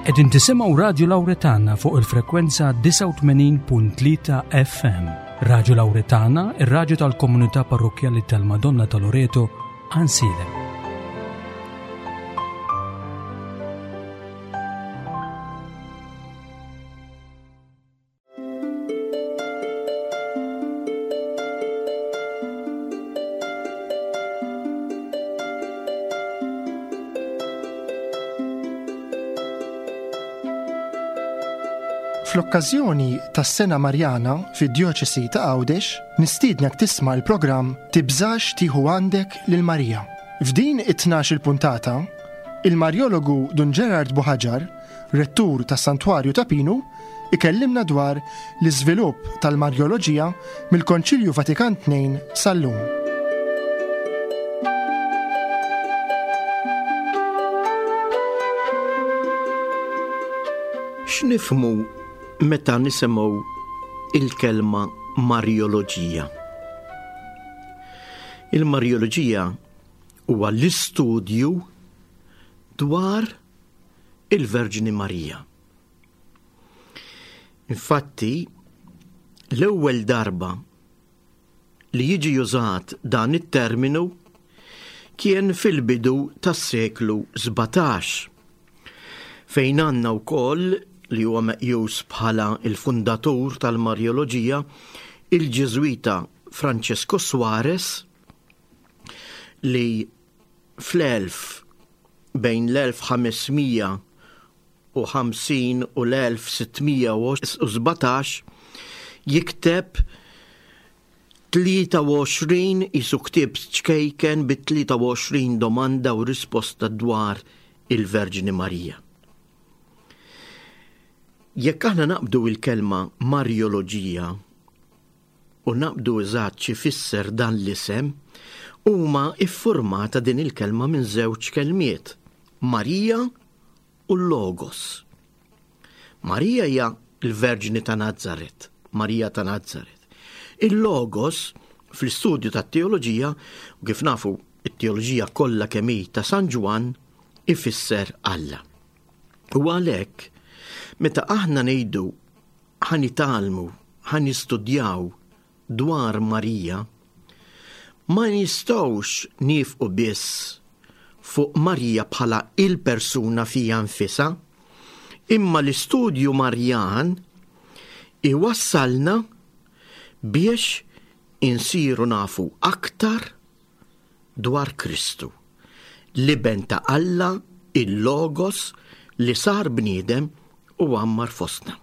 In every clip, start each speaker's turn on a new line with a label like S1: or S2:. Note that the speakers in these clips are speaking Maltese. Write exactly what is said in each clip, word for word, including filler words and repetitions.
S1: Qegħdin tisimgħu Radju Lawretana fuq il-frekwenza disgħa u tmenin punt tlieta F M. Radju Lawretana, ir-radju tal-komunità parrokkjali tal-Madonna ta' Loreto, Għajnsielem.
S2: Fl-okkażjoni tas-Sena Marjana fid-Djoċesi ta' Għawdex, nistiednek tisma' l-programm Tibżax tieħu għandek lil Marija. F'din it-tnax il-puntata, il-Marjologu Dun Gerard Buhagiar, rettur tas-Santwarju ta' Pinu, ikellimna dwar l-iżvilupp tal-Marjoloġija mill-Konċilju Vatikan tnejn sal-lum.
S3: X'nifhmu meta nisimgħu il-kelma Marjoloġija? Il-Marjoloġija huwa l-istudju dwar il-Verġni Marija. Infatti, l-ewwel darba li jiġi użat dan it-terminu kien fil-bidu tas-seklu sbatax, fejn għandna wkoll li huwa meqjus bħala il-fundatur tal-Marjoloġija, il-Ġiżwita Francesco Suarez, li fl-elf bejn l-elf ħamesmija u ħamsin u l-elf sittmija u sbatax jikteb tlieta u għoxrin isu ktieb ċkejken bi tlieta u għoxrin domanda u risposta dwar il-Verġni Marija. Jekk aħna naqbdu il-kelma Marjoloġija u naqbdu eżatt xi fisser dan l-isem, huma iffurmata din il-kelma minn żewġ kelmiet, Marija u Logos. Marija hija l-Verġni ta' Nazaret, Marija ta' Nazaret. Il-Logos fl-istudju tat-teoloġija, u kif nafu it-teoloġija kollha kemm hi ta' San Ġwann, ifisser Alla. U għalhekk meta aħna ngħidu ħanitgħallmu, ħanistudjaw dwar Marija, ma nistgħux nifqu biss fuq Marija bħala il-persuna fija nfisha, imma l-istudju Marjan iwassalna biex insiru nafu aktar dwar Kristu, l-Iben ta' Alla, il-Logos li sar bniedem u għammar fostna.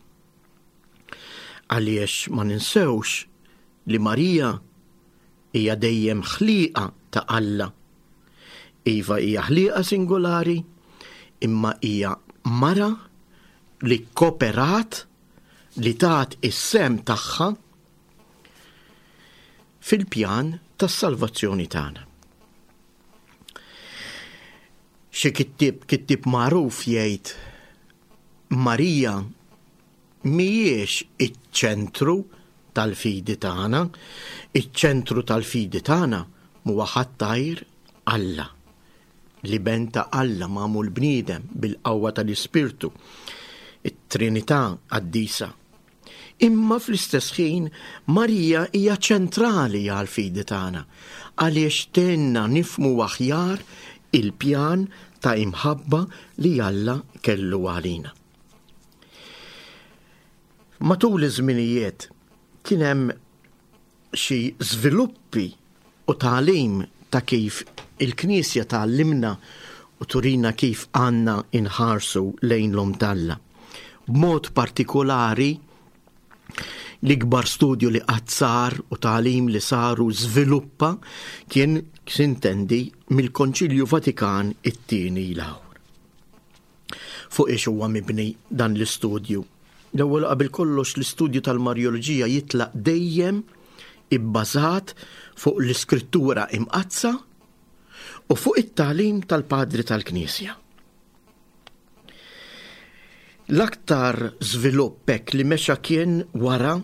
S3: Għaliex ma ninsewx li Marija hija dejjem ħliqa ta' Alla. Iva hija ħliqa singolari, imma hija mara li kooperat, li tat is-sem tagħha fil-pjan tas-salvazzjoni tagħna. Xi kittieb, kittieb magħruf jgħid Marija mhijiex iċ-ċentru tal-fidi tagħna, iċ-ċentru tal-fidi tagħna huwa ħadd għajr Alla, l-Iben ta' Alla magħmul bniedem bil-qawwa tal-Ispirtu, it-Trinità qaddisa. Imma fl-istess ħin Marija hija ċentrali għall-fidi tagħna, għaliex tgħinna nifhmu aħjar il-pjan ta' imħabba li Alla kellu għalina. Matul iż-żminijiet kien hemm xi żviluppi u tagħlim ta' kif il-Knisja tgħallimna u turina kif għandna inħarsu lejn l-Omm t'Alla. B'mod partikolari l-ikbar studju li qatt sar u tagħlim li saru żviluppa kien sintendi mill-Konċilju Vatikan it-tieni l-ewwel. Fuq ix huwa mibni dan l-istudju? L-ewwel qabel kollox l-istudju tal-Marjoloġija jitlaq dejjem ibbażat fuq l-Iskrittura Imqaddsa u fuq it-tagħlim tal-Padri tal-Knisja. L-aktar żvilupp hekk li mexa kien wara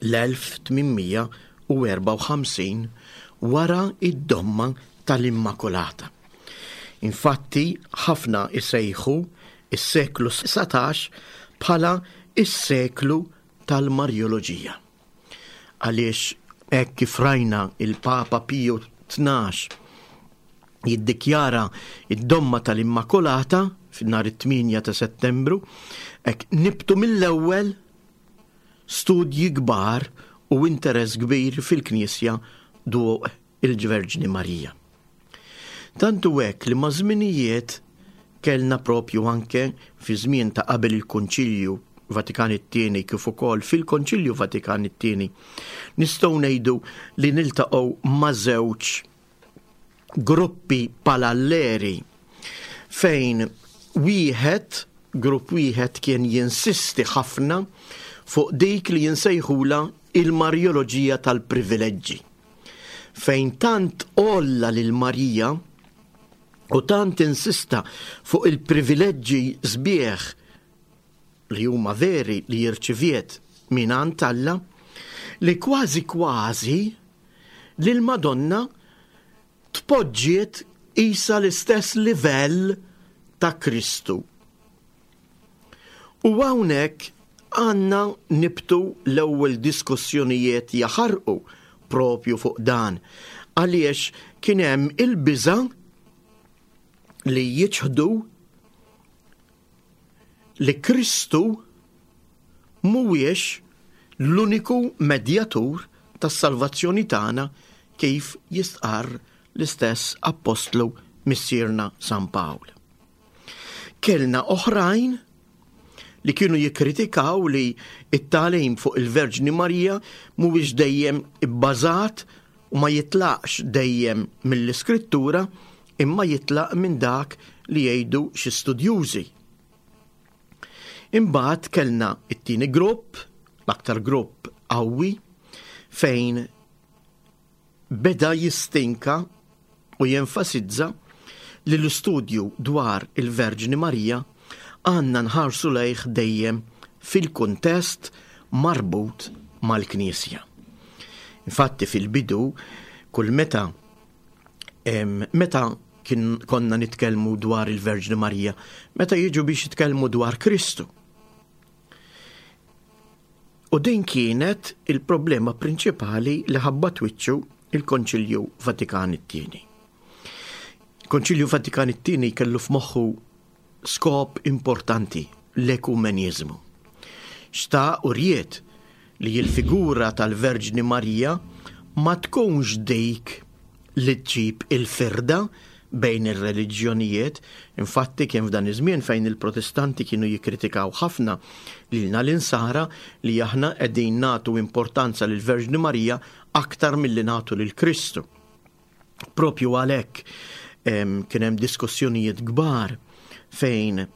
S3: l-elf tmienmija u erbgħa u ħamsin wara id-domma tal-Immakulata. Infatti, ħafna isejħu is-seklu satax bħala is-seklu tal-Marjoloġija. Għaliex hekk kif rajna il-Papa Piju tnax jiddikjara id-domma tal-Immakolata f'nhar it-tmienja ta' Settembru, hekk nibtu mill-ewwel studji kbar u interess kbir fil-Knisja dwar il-Verġni Marija. Tantu hekk li ma' żminijiet kellna propju anke fi żmien ta' qabel il-Konċilju Vatikan it-tieni kif ukoll fil-Konċilju Vatikan it-tieni nistgħu ngħidu li niltaqgħu ma' żewġ gruppi paralleri fejn wieħed, grupp wieħed kien jinsisti ħafna fuq dik li jinsejħula il-Marjoloġija tal-privileġġi, fejn tant għolla lil Marija u tant insista fuq il-privileġġi sbieħ li huma veri li jirċiviet mingħand Alla, li kważi kważi lil Madonna tpoġġiet isa l-istess livell ta' Kristu. U hawnhekk għandna nibtu l-ewwel diskussjonijiet jaħarqu propju fuq dan, għaliex kien hemm il-biża' li jiċħdu li Kristu mhuwiex l-uniku medjatur tas-salvazzjoni tagħna kif jistqarr l-istess appostlu missierna San Pawl. Kellna oħrajn li kienu jikkritikaw li it-tagħlim fuq il-Verġni Marija mhuwiex dejjem ibbażat u ma jitlaqx dejjem mill-Iskrittura, imma jitlaq minn dak li jgħidu xi studjużi. Imbagħad kellna it-tieni grupp, l-aktar grupp qawwi, fejn beda jistinka u jenfasizza li l-istudju dwar il-Verġni Marija għandna nħarsu lejh dejjem fil-kuntest marbut mal-Knisja. Infatti fil-bidu, kull meta, em, meta kien konna nitkellmu dwar il-Verġni Marija, meta jiġu biex jitkellmu dwar Kristu. U din kienet il-problema prinċipali li ħabbat wiċċu il-Konċilju Vatikan it-tieni. Konċilju Vatikan it-tieni kellu f'moħħu skop importanti, l-ekumeniżmu. Xtaq u ried li l-figura tal-Verġni Marija ma tkunx dik li tġib il-firda bejn ir-reliġjonijiet. Infatti kien f'dan iż-żmien fejn il-Protestanti kienu jikkritikaw ħafna lilna l-insara li aħna qegħdin nagħtu importanza lill-Verġni Marija aktar milli nagħtu lil Kristu. Propju għalhekk, em, kien hemm diskussjonijiet kbar fejn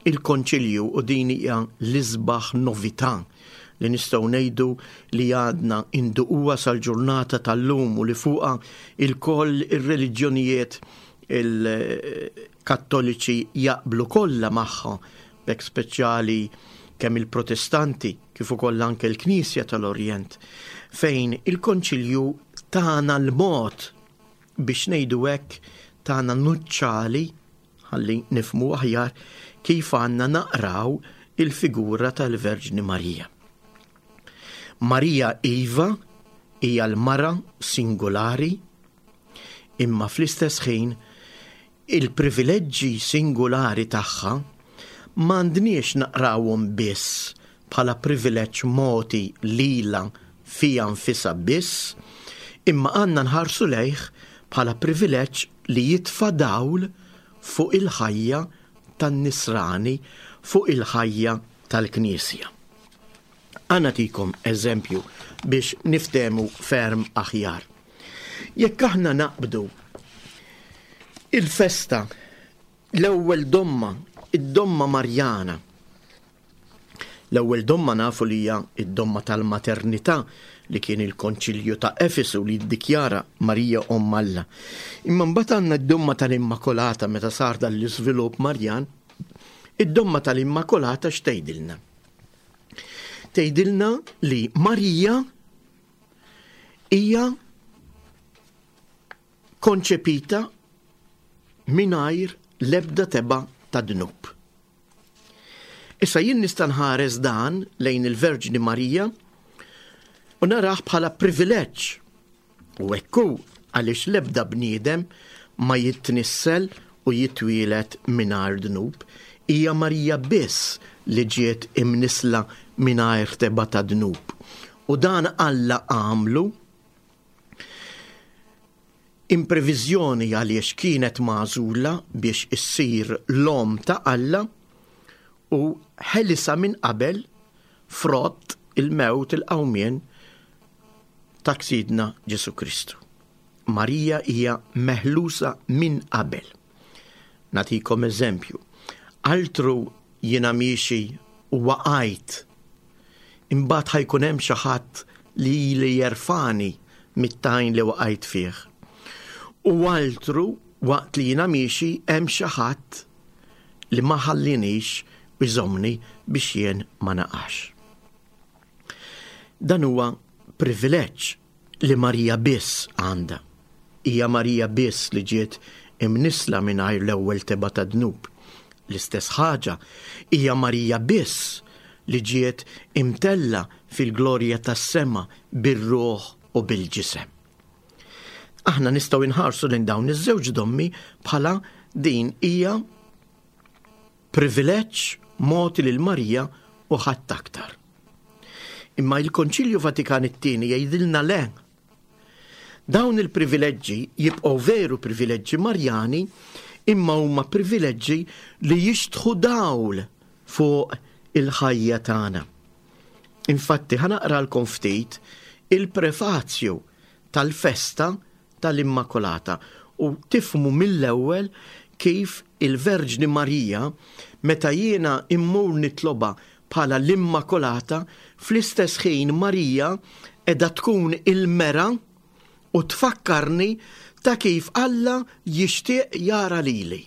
S3: il-Konċilju, u din hija l-isbaħ novità li nistgħu ngħidu li għadna induquha sal-ġurnata tal-lum u li fuqha il-koll ir-reliġjonijiet il-Kattoliċi jaqblu kollha magħha, b'hekk speċjali kemm il-Protestanti kif ukoll anke l-Knisja tal-Orjent, fejn il-Konċilju tana l-mod biex ngħidu hekk, tana nuċċali ħalli nifhmu aħjar kif għandna naqraw il-figura tal-Verġni Marija. Marija iva hija l-mara singolari, imma fl-istess ħin il-privileġġi singolari tagħha m'għandniex naqrawhom biss bħala privileġġ moti lila fija nfisha biss, imma għandna nħarsu lejh bħala privileġġ li jitfa' dawl fuq il-ħajja tan-nisrani, fuq il-ħajja tal-Knisja. Ħa nagħtikom eżempju biex niftehmu ferm aħjar. Jekk aħna naqbdu il-festa, l-ewwel domma, id-domma Marjana. L-ewwel domma nafu li hija id-domma tal-maternità li kien il-Konċilju ta' Efesu li ddikjara Marija Omm Alla. Imma mbagħad għandna d-domma tal-Immakolata meta sar dan l-iżvilupp Marjan. Id-domma tal-Immakolata x'tgħidilna? Tgħidilna li Marija hija konċepita mingħajr l-ebda teba ta' dnub. Issa jien nista' nħares dan lejn il-Verġni Marija u narah bħala privileġġ. U hekk hu, għaliex l-ebda bniedem ma jitnissel u jitwielet mingħajr dnub. Hija Marija biss li ġiet imnisla mingħajr tebgħa ta' dnub. U dan Alla għamlu impreviżjoni għaliex kienet magħżula biex issir l-om ta' Alla u ħelisa minn qabel frott il-mewt, il-qawmien ta' Sidna Ġesu Kristu. Marija hija meħlusa minn qabel. Nagħtikom eżempju. Altru jiena miexi u waqajt. Imbagħad ħa jkun hemm xi ħadd li li jerfani mit-tajn li waqajt fih. U altru waqt li jiena miexi hemm xi ħadd li ma ħallinix u jżommni biex jien ma naqax. Dan huwa privileġġ li Marija biss għandha. Hija Marija biss li ġiet imnisla mingħajr l-ewwel tebgħa ta' dnub. L-istess ħaġa hija Marija biss li ġiet imtella fil-glorja tas-sema bir-ruħ u bil-ġisem. Aħna nistgħu nħarsu lejn dawn iż-żewġ dommi bħala din hija privileġġ mogħti lil Marija u ħadd aktar. Imma il-Konċilju Vatikan it-tieni jgħidilna le. Dawn il-privileġġi jibqgħu veru privileġġi Marjani, imma huma privileġġi li jixtħu dawl fuq il-ħajja tagħna. Infatti ħa naqralkom ftit il-prefazju tal-festa tal-Immakolata u tifhmu mill-ewwel kif il-Verġni Marija meta jiena immur nitloba bħala l-Immakolata, fl-istess ħin Marija edha tkun il-mera u tfakkarni ta' kif Alla jixtieq jara lili.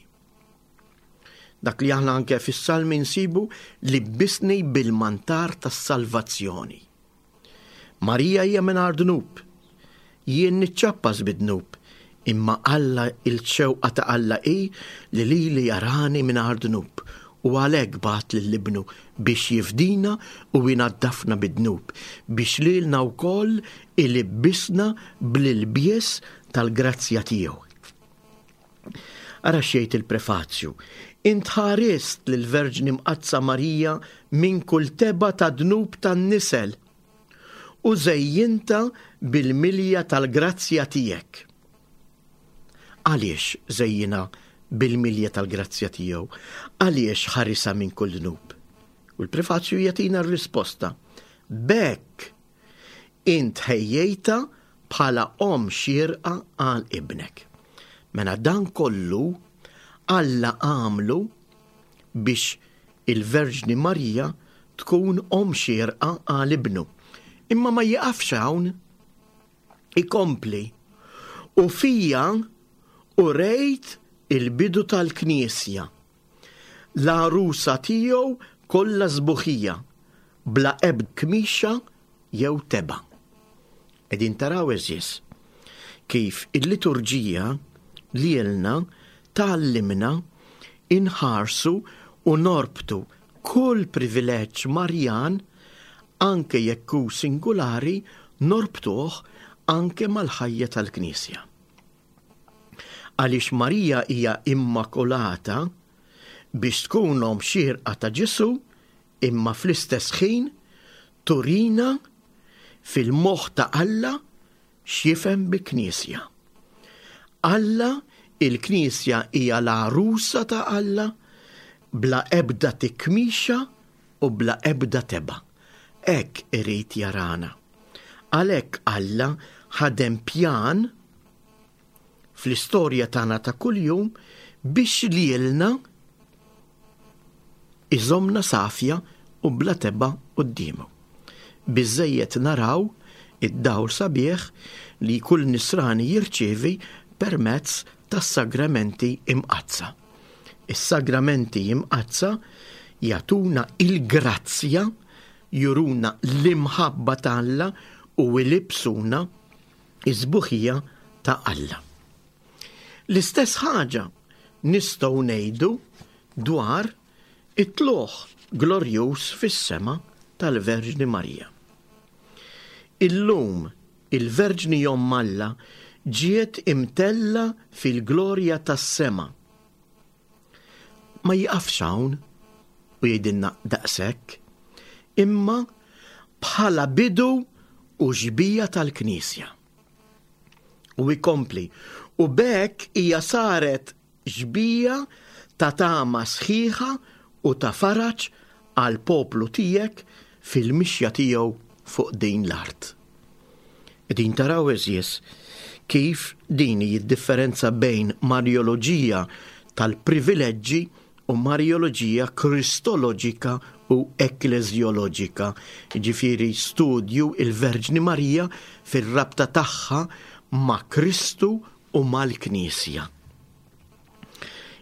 S3: Dak li aħna anke fis-salmi nsibu li bisni bil-mantar tas-salvazzjoni. Marija hija mingħajr dnub, jien niċċappas bid-dnub, imma Alla, il-xewqa ta' Alla hi li lili jarani mingħajr dnub, u għalhekk bagħat lil ibnu biex jifdina u jnaddafna bid-dnub, biex lilna wkoll ilibbisna bl-ilbies tal-grazzja tiegħu. Ara xejt il-prefazju. Int ħarist lill-Verġni Mqaddsa Marija minn kull tebgħa ta' dnub tan-nisel u żejjinta bil-milja tal-grazzja tiegħek. Għaliex żejjina bil-milja tal-grazzja tiegħu? Għaliex ħarisa minn kull dnub? U l-prefazju jagħtina r-risposta. B'hekk int ħejjejta bħala om xierqa għal ibnek. Mela dan kollu Alla għamlu biex il-Verġni Marija tkun om xierqa għal ibnu. Imma ma jiqafx hawn, ikompli. U fija u rejt il-bidu tal-Knisja, l-għarusa tiegħu kollha sbuħija, bla ebda kmixa jew tebgħa. Qegħdin taraw eżis kif il-liturġija lilna tgħallimna inħarsu u norbtu kull privileġġ Marjan, anke jekk hu singolari, norbtuh anke mal-ħajja tal-Knisja. Għaliex Marija hija immakolata biex tkun om xierqa ta' Ġesu, imma fl-istess ħin turina fil-moħħ ta' Alla x'jifhem bi Knisja. Alla, il-Knisja hija l-għarusa ta' Alla bla ebda tikmixa u bla ebda tebgħa. Hekk irid jarana. Għalhekk Alla ħadem pjan fl-istorja tagħna ta' kuljum biex lilna iżomna safja u bla tebgħa quddiemu. Biżżejjed naraw id-dawl sabiħ li kull nisrani jirċievi permezz tas-sagramenti imqaddsa. Is-sagramenti imqaddsa jagħtuna il-grazzja, juruna l-imħabba ta' Alla u jlibsuna iż-sbuħija ta' Alla. L-istess ħaġa nistgħu ngħidu dwar it-tlugħ glorjuż fis-sema tal-Verġni Marija. Illum il-Verġni Omm Alla ġiet imtella fil-glorja tas-sema. Ma jiqafx hawn u jgħidilna daqshekk, imma bħala bidu u xbija tal-Knisja. U jkompli, u b'hekk hija saret xbija ta' tama sħiħa u ta' faraġ għal poplu tiegħek fil-mixja tiegħu fuq din l-art. Din taraw, għeżież, kif din hi d-differenza bejn Marjoloġija tal-privileġġi u Marjoloġija kristoloġika u ekkleżjoloġika, ġifieri studju il-Verġni Marija fir-rabta tagħha ma' Kristu u mal-Knisja.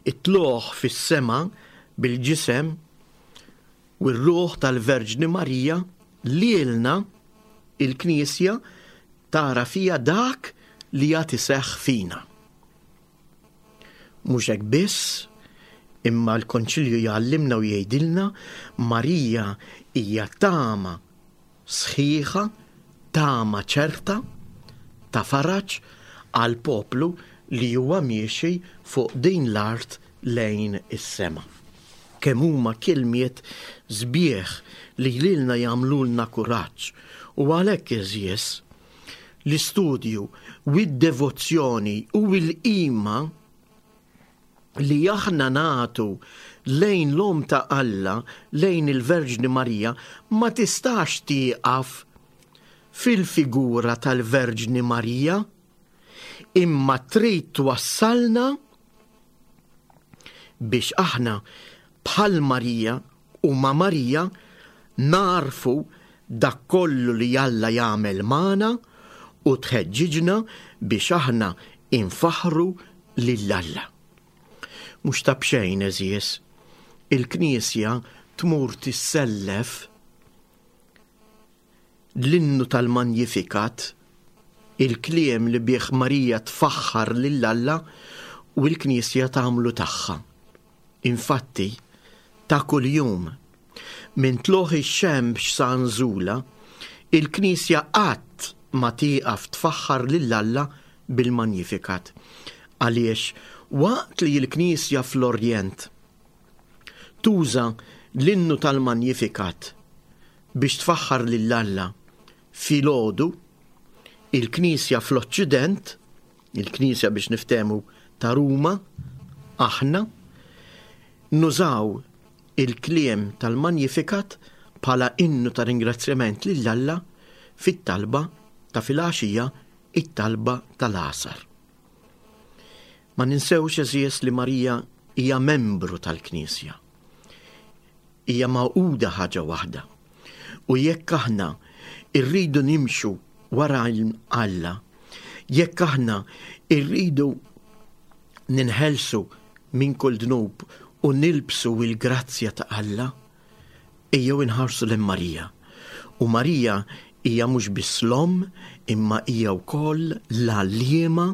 S3: It-tlugħ fis-sema bil-ġisem u r-ruħ tal-Verġni Marija lilna il-Knisja tara fija dak li għad iseħħ fina. Mhux hekk biss, imma l-Konċilju jgħallimna u jgħidilna Marija hija tama sħiħa, tama ċerta ta' faraġ għal poplu li huwa miexi fuq din l-art lejn is-sema. Kemm huma kelmiet sbieħ li lilna jagħmlulna kuraġġ, u għalhekk, għeżież, l-istudju u d-devozzjoni u l-qima li aħna nagħtu lejn l-Omm ta' Alla, lejn il-Verġni Marija, ma tistax tieqaf fil-figura tal-Verġni Marija, imma trid twassalna biex aħna bħal Marija u ma' Marija narfu dak kollu li Alla jagħmel magħna u tħeġġiġna biex aħna infaħru lil Alla. Mhux ta' b'xejn, għeżież, il-Knisja tmur tissellef l-innu tal-Magnificat, il-kliem li bih Marija tfaħħar lil Alla, u l-Knisja tagħmlu tagħha. Infatti, ta' kuljum, minn tlugħ ix-xemx sa nżula, il-Knisja qatt ma tieqaf tfaħħar lil Alla bil-Magnificat. Għaliex waqt li l-Knisja fl-Orjent tuża l-innu tal-Magnificat biex tfaħħar lil Alla filgħodu, il-Knisja fl-Oċċident, il-Knisja biex niftehmu ta' Ruma, aħna nużaw il-kliem tal-Magnificat bħala innu ta' ringrazzjament lil Alla fit-talba ta' filgħaxija, it-talba tal-għasar. Ma ninsewx, għeżież, li Marija hija membru tal-Knisja. Hija magħquda ħaġa waħda. U jekk aħna irridu nimxu wara Alla, jekk aħna irridu ninħelsu minn kull dnub u nilbsu il-grazzja ta' Alla, ejjew inħarsu lil Marija. U Marija hija mhux biss l-omm, imma hija wkoll l-għalliema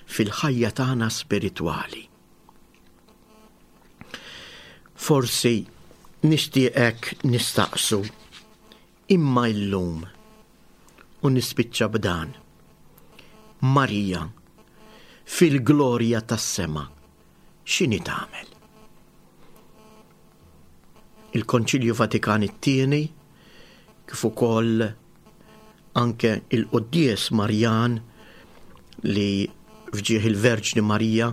S3: fil-ħajja tagħna spiritwali. Forsi nixtieqek nistaqsu, imma illum, u nispiċċa b'dan, Marija fil-glorja tas-sema x'inhi tagħmel? Il-Konċilju Vatikan it-tieni, kif ukoll anke il-Quddies Marjan li fġieħ il-Verġni Marija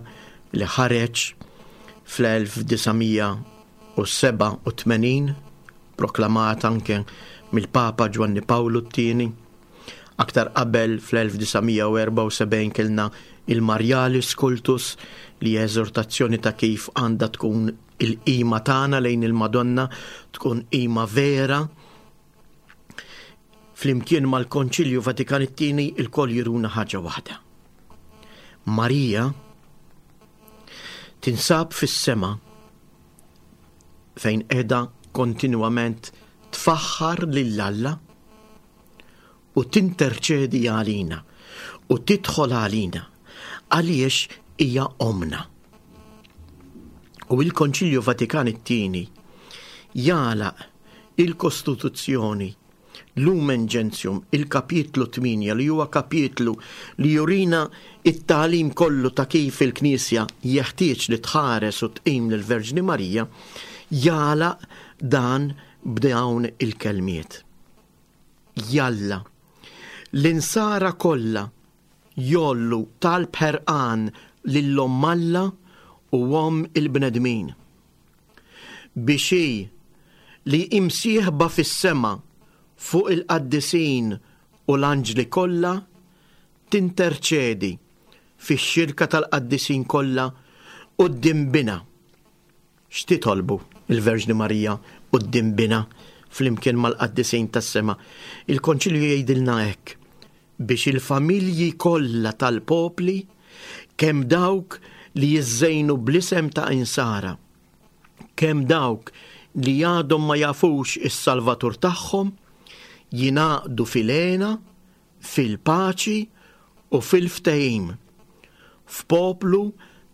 S3: li ħareġ fl-elf disa' mija u sebgħa u tmenin, proklamat anke mill-Papa Ġwanni Pawlu t-tieni. Aktar qabel fl-elf disa' mija u erbgħa u sebgħin kellna il-Marialis Cultus li hija eżortazzjoni ta' kif għandha tkun il-qima tagħna lejn il-Madonna, tkun qima vera. Flimkien mal-Konċilju Vatikan it-tieni il-koll jiruna ħaġa waħda. Marija tinsab fis-sema fejn qiegħda kontinwament tfaħħar lil Alla u tinterċedi għalina u tidħol għalina għaliex hija omna. U il-Konċilju Vatikan it-tieni Jagħlaq il-Kostituzzjoni Lumen Gentium, il-kapitlu tmienja, li huwa kapitlu li jurina it-tagħlim kollu ta' kif il-Knisja jeħtieġ li tħares u tqim lill-Verġni Marija, jagħlaq dan b'dawn il-kelmiet. Jalla, l-insara kollha jgħollu talb ħerqan lil Omm Alla u Omm il-bnedmin. Biex hi li imsieħba fis-sema fuq il-qaddisin u l-anġli kollha tinterċedi fix-xirka tal-qaddisin kollha quddiem Binha. X'titolbu il-Verġni Marija quddiem Binha flimkien mal-qaddisin tas-sema? Il-Konċilju jgħidilna hekk: biex il-familji kollha tal-popli, kemm dawk li jiżżejnu bl-isem ta' insara, kemm dawk li għadhom ma jafux is-Salvatur tagħhom, jingħaqdu fil-hena, fil-paċi u fil-ftehim, f'poplu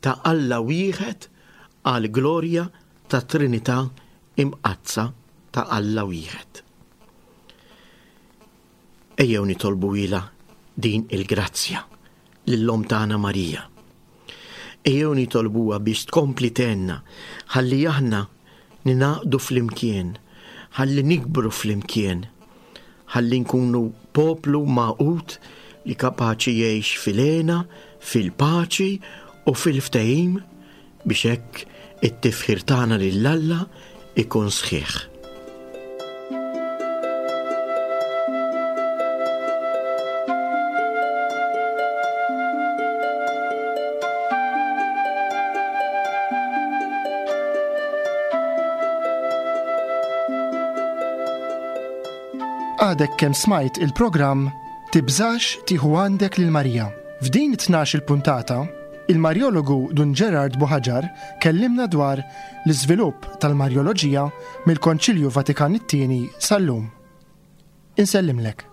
S3: ta' Alla wieħed għal glorja ta' Trinità imqaddsa ta' Alla wieħed. Ejjew nitolbu ilha din il-grazzja lill-Omm tagħna Marija. Ejjew nitolbuha biex tkompli tgħinna ħalli aħna ninaqdu flimkien, ħalli nikbru flimkien, ħalli nkunu poplu magħqud li kapaċi jgħix fil-hena, fil-paċi u fil-ftehim, biex hekk it-tifħir tagħna lil Alla ikun sħiħ.
S2: Għadek kemm smajt il-programm Tibżax tieħu għandek lil Marija. F'din it-tnax il-puntata, il-Marjologu Dun Gerard Buhagiar kellimna dwar l-iżvilupp tal-Marjoloġija mill-Konċilju Vatikan it-tieni sal-lum. Insellimlek.